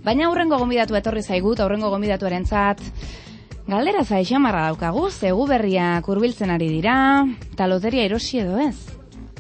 Baina aurrengo gonbidatu etorri zaigut, aurrengo gonbidatuarentzat galdera zaixamarra daukagu, zegu berriak hurbiltzen ari dira, eta loteria erosi edo ez?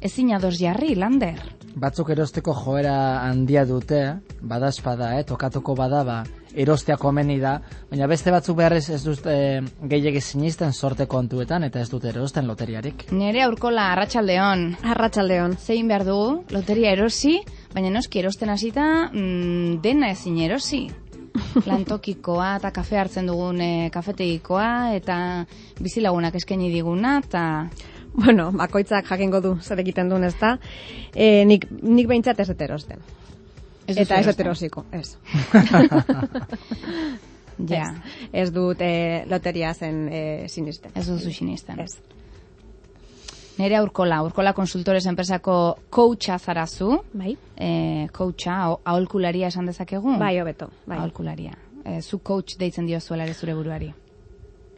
Ezin ados jarri, Lander? Batzuk erosteko joera handia dute, badazpada, tokatuko bada, erostea komeni da, baina beste batzuk beharrez ez dut gehiagez sinisten sorte kontuetan, eta ez dut erosten loteriarik. Nere Urkola, arratsaldeon. Arratsaldeon. Zein behar dugu, loteria erosi, baina noski erosten hasita dena ezin erosi. Lantokikoa eta kafe hartzen dugun kafetegikoa eta bizilagunak eskaini diguna eta... Bueno, bakoitzak jakingo du zer egiten duen, ezta? Nik behintzat ez dut erosten. Eta ez dut erosiko, ez. Ja. Ez dut loteria zen sinisten. Ez duzu sinisten. Ez. Nere Urkola Konsultores enpresako coacha zarazu. Bai. Coacha, aholkularia esan dezakegu? Bai, hobeto. Bai. Aholkularia. Zu coach deitzen diozuela ere zure buruari.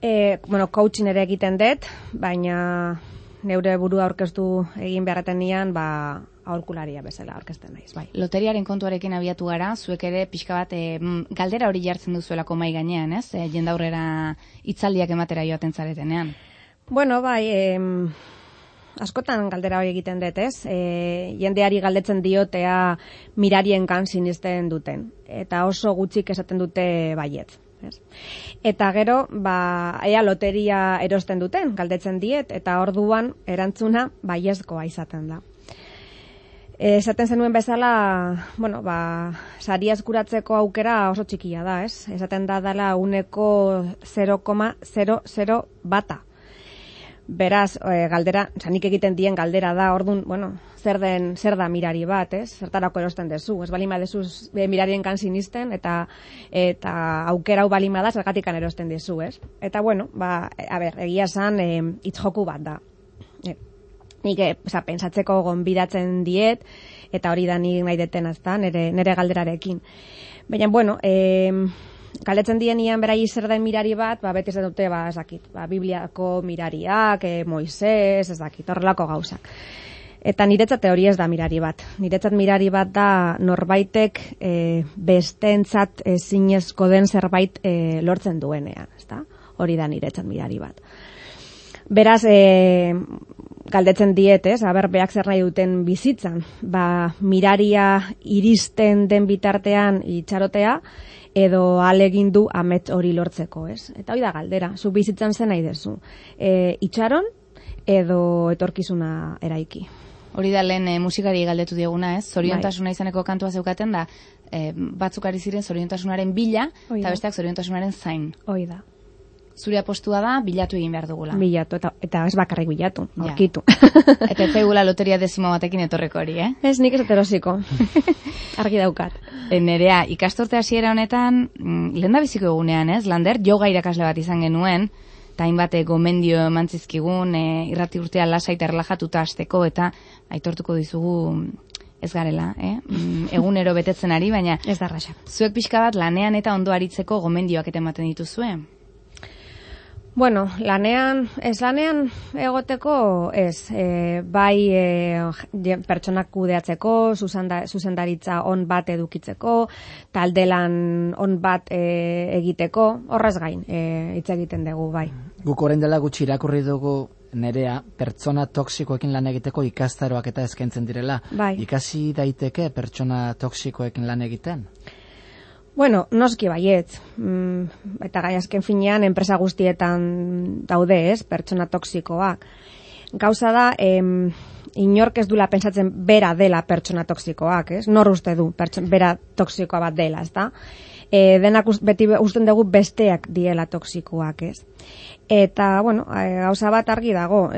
Bueno, coaching ere egiten dut, baina neure burua aurkeztu egin beharreten nian, aholkularia bezala aurkezten naiz. Bai. Loteriaren kontuarekin abiatu gara, zuek ere pixka bat galdera hori jartzen duzuelako mai gainean, ez? Jendaurrera hitzaldiak ematera joaten zaretenean. Bueno, bai, askotan galdera hori egiten dut, ez? Jendeari galdetzen diotea mirarien kan sinisten duten. Eta oso gutxik esaten dute baiet. Ez? Eta gero, ea loteria erosten duten, galdetzen diet, eta orduan erantzuna baiezkoa izaten da. Esaten zenuen bezala, bueno, saria eskuratzeko aukera oso txikia da, ez? Esaten da dela 0,00 bata. Beraz, galdera, nik egiten dien galdera da, orduan, bueno, zer da mirari bat, ez? Zertarako erosten dezu, ez balima dezuz mirarien kan sinisten, eta aukera hau balima da, zergatikan erosten dezu, ez? Eta, bueno, egia esan, hitz-joku bat da. Nik, pentsatzeko gonbidatzen diet, eta hori da nik nahi detena, ezta, nire galderarekin. Baina, bueno, galdetzen dienian berai zer den mirari bat, beti ez dute, ez dakit, Bibliako mirariak, Moises, ez dakit, horrelako gauzak. Eta niretzat hori ez da mirari bat. Niretzat mirari bat da norbaitek bestentzat ezinezko den zerbait lortzen duenean, ezta? Hori da niretzat mirari bat. Beraz, galdetzen diet, beak zer nahi duten bizitzan, miraria iristen den bitartean itxarotea, edo alegin du amets hori lortzeko, ez? Eta hori da galdera, zu bizitzan zen nahi dezu. Itxaron edo etorkizuna eraiki. Hori da lehen musikari galdetu dieguna, ez? Zoriontasuna izaneko kantua zeukaten da, batzuk ari ziren zoriontasunaren bila, eta besteak zoriontasunaren zain. Hoi da. Zure apostua da, bilatu egin behar dugula. Bilatu, eta ez bakarrik bilatu, aurkitu. Eta ez zaigula loteria dezimo batekin etorreko hori, eh? Ez, nik ez eterosiko. Argi daukat. Nerea, ikastorte hasiera honetan, lehendabiziko egunean, ez? Lander, yoga irakasle bat izan genuen, eta hainbat gomendio emantzizkigun, irrati urtea lasai eta erlajatuta hasteko, eta aitortuko dizugu ez garela, egunero betetzen ari, baina ez da raxa. Zuek pixka bat lanean eta ondo aritzeko gomendioak eta ematen dituzue? Bueno, lanean egoteko ez, pertsonak kudeatzeko, zuzendaritza on bat edukitzeko, taldelan on bat egiteko, horrez gain hitz egiten dugu, bai. Guk orain dela gutxi irakurri dugu, Nerea, pertsona toksikoekin lan egiteko ikastaroak eta eskaintzen direla. Bai. Ikasi daiteke pertsona toksikoekin lan egiten? Bueno, noski baietz, eta gai azken finean enpresa guztietan daude, ez, pertsona toksikoak. Gauza da, inork ez dula pentsatzen bera dela pertsona toksikoak, ez? Nor uste du bera toksikoa bat dela, ez da? Denak beti usten dugu besteak diela toksikoak, ez? Eta, bueno, gauza bat argi dago,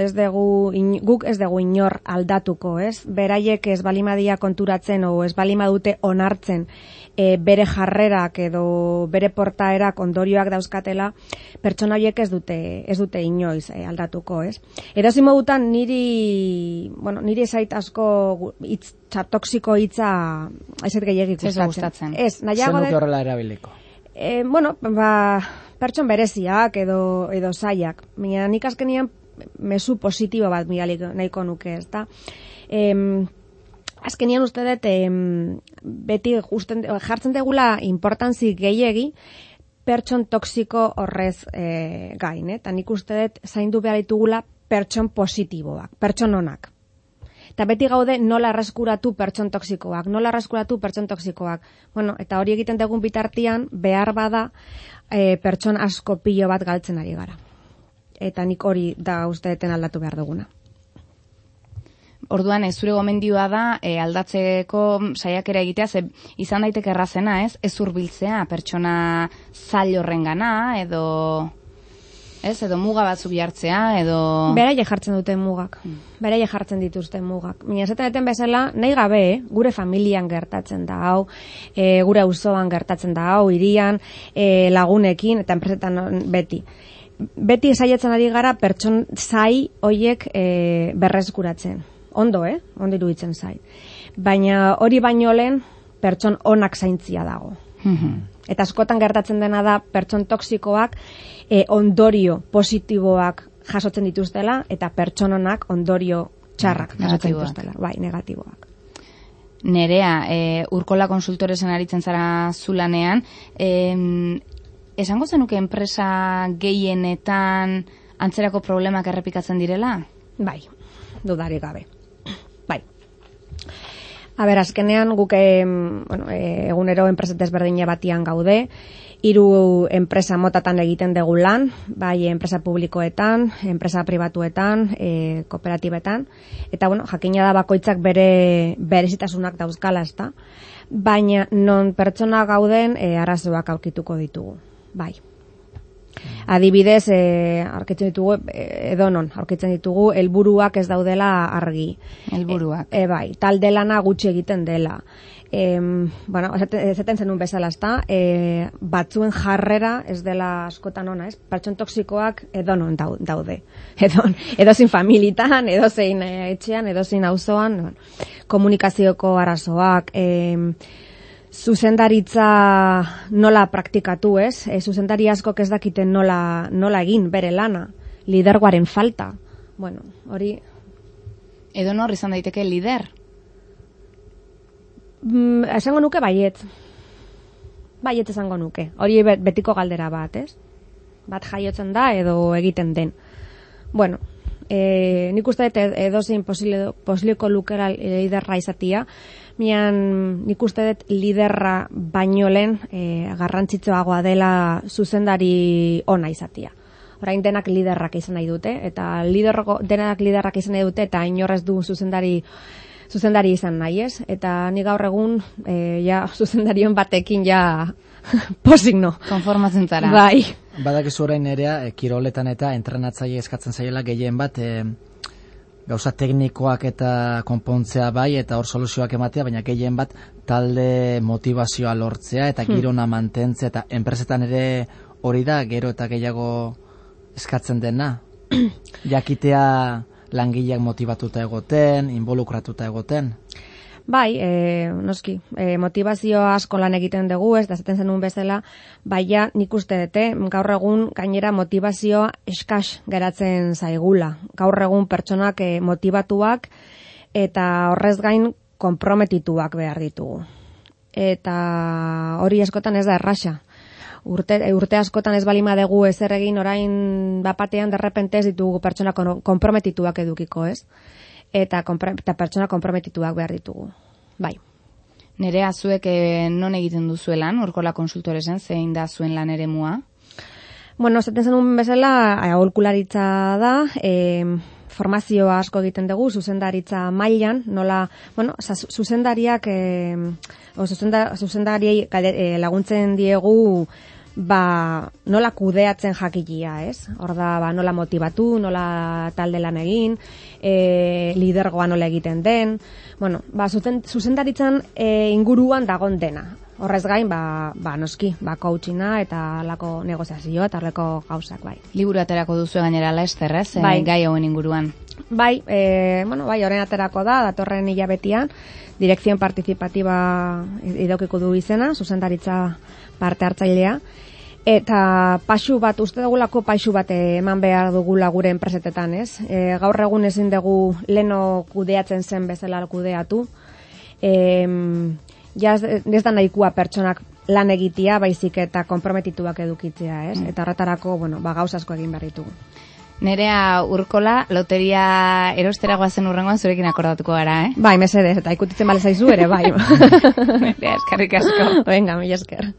guk ez dugu inor aldatuko, ez? Beraiek ez balimadia konturatzen o ez balimadute onartzen bere jarrerak edo bere portaerak ondorioak dauzkatela, pertsona horiek ez dute inoiz aldatuko, ez? Edozein modutan niri zait asko toksiko hitza ezer gehiagik gustatzen. Ez, nahiago zenuke horrela erabiliko. Pertson bereziak edo zaiak. Baina nik azkenian mezu positibo bat nahiko nuke, ez da? Azkenian uste dut beti jartzen degula importantzi gehiegi pertson toksiko horrez gain, eta nik uste dut zaindu behar ditugula pertson positiboak, pertson onak. Eta beti gaude nola erreskuratu pertson toksikoak. Bueno, eta hori egiten dugun bitartian, behar bada pertson asko pilo bat galtzen ari gara. Eta nik hori da usteeten aldatu behar duguna. Orduan, zure gomendioa da aldatzeko saiakera egitea, ze izan daiteke errazena, ez? Ez hurbiltzea pertsona zail horrengana, edo muga batzuk jartzea, edo... Beraiek jartzen duten mugak. Beraiek jartzen dituzten mugak. Mina esaten duten bezala, nahi gabe, gure familian gertatzen da hau, gure auzoan gertatzen da hau, hirian, lagunekin, eta enpresetan beti. Beti saiatzen ari gara pertson zai hoiek berreskuratzen. Ondo iruditzen zai. Baina hori baino lehen pertson onak zaintzia dago. Eta askotan gertatzen dena da pertson toksikoak ondorio positiboak jasotzen dituztela eta pertsononak ondorio txarrak jasotzen dituztela, bai, negatiboak. Nerea, Urkola konsultoresen aritzen zara zulanean, esango zenuke enpresa gehienetan antzerako problemak errepikatzen direla? Bai, dudarik gabe. Bai. Azkenean guk egunero enpresa desberdina batian gaude, 3 enpresa motatan egiten dugu lan, bai enpresa publikoetan, enpresa pribatuetan, kooperatibetan, eta jakina da bakoitzak bere berezitasunak dauzkala, ezta? Baina non pertsona gauden arazoak aurkituko ditugu, bai. Adibidez, aurkitzen ditugu helburuak ez daudela argi. Helburuak. Bai, talde lana gutxi egiten dela. Esaten zenun bezala, ezta? Batzuen jarrera ez dela askotan ona, ez? Pertson toksikoak edonon daude. Edozein familitan, edozein etxean, edozein auzoan, komunikazioko arazoak, zuzendaritza nola praktikatu, ez? Zuzendari askok ez dakiten nola egin bere lana, lidergoaren falta. Hori... Edo nor izan daiteke lider? Esango nuke baiet. Baiet esango nuke. Hori betiko galdera bat, ez? Bat jaiotzen da edo egiten den. Nik uste dut edozein posiliko lukera liderra izatia, nik uste dut liderra baino lehen garrantzitsuagoa dela zuzendari ona izatia. Orain denak liderrak izan nahi dute, eta denak liderrak izan nahi dute, eta inorrez du zuzendari izan nahi, ez? Eta ni gaur egun zuzendarion batekin posik no. Konformatzen zara. Bai. Badakizu orain Nerea, kiroletan eta entrenatzaile eskatzen zaiela gehien bat gauza teknikoak eta konpontzea bai, eta hor soluzioak ematea, baina gehien bat talde motivazioa lortzea eta girona mantentzea, eta enpresetan ere hori da gero eta gehiago eskatzen dena. Jakitea langileak motibatuta egoten, involukratuta egoten. Bai, noski, motivazio asko lan egiten dugu, ez da zaten zenun bezala, baina nik uste dute, gaur egun gainera motivazioa eskas geratzen zaigula. Gaur egun pertsonak motivatuak eta horrez gain konprometituak behar ditugu. Eta hori askotan ez da erraxa. Urte askotan ez balima dugu ezer egin orain bapatean derrepente ez ditugu pertsona konprometituak edukiko, ez? Eta pertsona konprometituak behar ditugu. Bai. Nerea, zuek non egiten duzuelan, Urkola konsultoresen, zein da zuen lan eremua? Zaten zenun bezala, aholkularitza da, formazioa asko egiten dugu, zuzendaritza mailan, nola, zuzendariak, zuzendariei laguntzen diegu, nola kudeatzen jakilia, ez? Hor da, nola motivatu, nola talde lan egin, lidergoa nola egiten den, zuzendaritzan inguruan dagon dena. Horrez gain, noski, coachinga eta alako negoziazioa eta horreko gauzak, bai. Liburu aterako duzu gainera Lester, ez? Bai. Gai hauen inguruan. Bai, horren aterako da, datorren hilabetian, Direkzion Partizipatiba idokiko du izena, zuzendaritza parte hartzailea, eta pasu bat, uste dugulako pasu bat eman behar dugula gure enpresetetan, ez? Gaur egun ezin dugu leno kudeatzen zen bezala kudeatu, ja ez da nahikoa pertsonak lan egitea, baizik eta konprometituak edukitzea, ez? Eta horretarako, gauz asko egin behar ditugu. Nerea Urkola, loteria erostera goazen urrengoan zurekin akordatuko gara, Bai, mesedez, eta ikutitzen bale zaizu ere, bai. Nerea, eskerrik asko. Venga, mila esker.